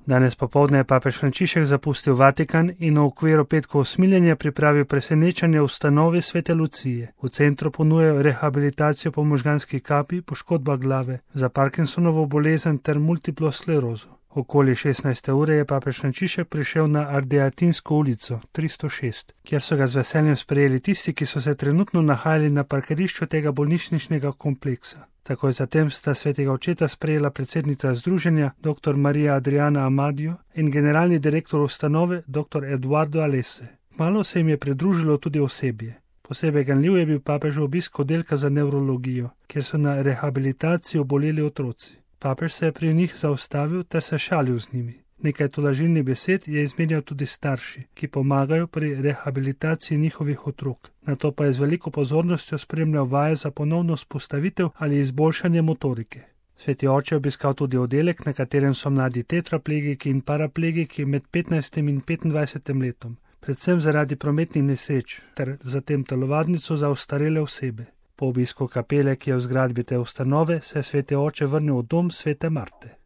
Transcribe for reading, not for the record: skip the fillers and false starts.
Danes popoldne je papež Frančišek zapustil Vatikan in v okviru petkov usmiljenja pripravil presenečenje v ustanovi Svete Lucije. V centru ponujajo rehabilitacijo po možganski kapi, poškodba glave, za Parkinsonovo bolezen ter multiplo sklerozo. Okoli 16. ure je papež Frančišek prišel na Ardeatinsko ulico 306, kjer so ga z veseljem sprejeli tisti, ki so se trenutno nahajali na parkirišču tega bolnišničnega kompleksa. Takoj zatem sta svetega očeta sprejela predsednica združenja dr. Marija Adriana Amadio in generalni direktor ustanove dr. Eduardo Alesse. Malo se jim je pridružilo tudi osebje. Posebej ganljiv je bil papežev obisk oddelka za nevrologijo, kjer so na rehabilitaciji oboleli otroci. Papež se je pri njih zaustavil ter se šalil z njimi. Nekaj tolažilnih besed je izmenjal tudi starši, ki pomagajo pri rehabilitaciji njihovih otrok. Nato pa je z veliko pozornostjo spremljal vaje za ponovno vzpostavitev ali izboljšanje motorike. Sveti oče je obiskal tudi oddelek, na katerem so mladi tetraplegiki in paraplegiki med 15 in 25 letom, predvsem zaradi prometnih nesreč, ter zatem telovadnico za ostarele osebe. Po obisku kapele, ki je v zgradbi te ustanove, se je sveti oče vrnil v dom svete Marte.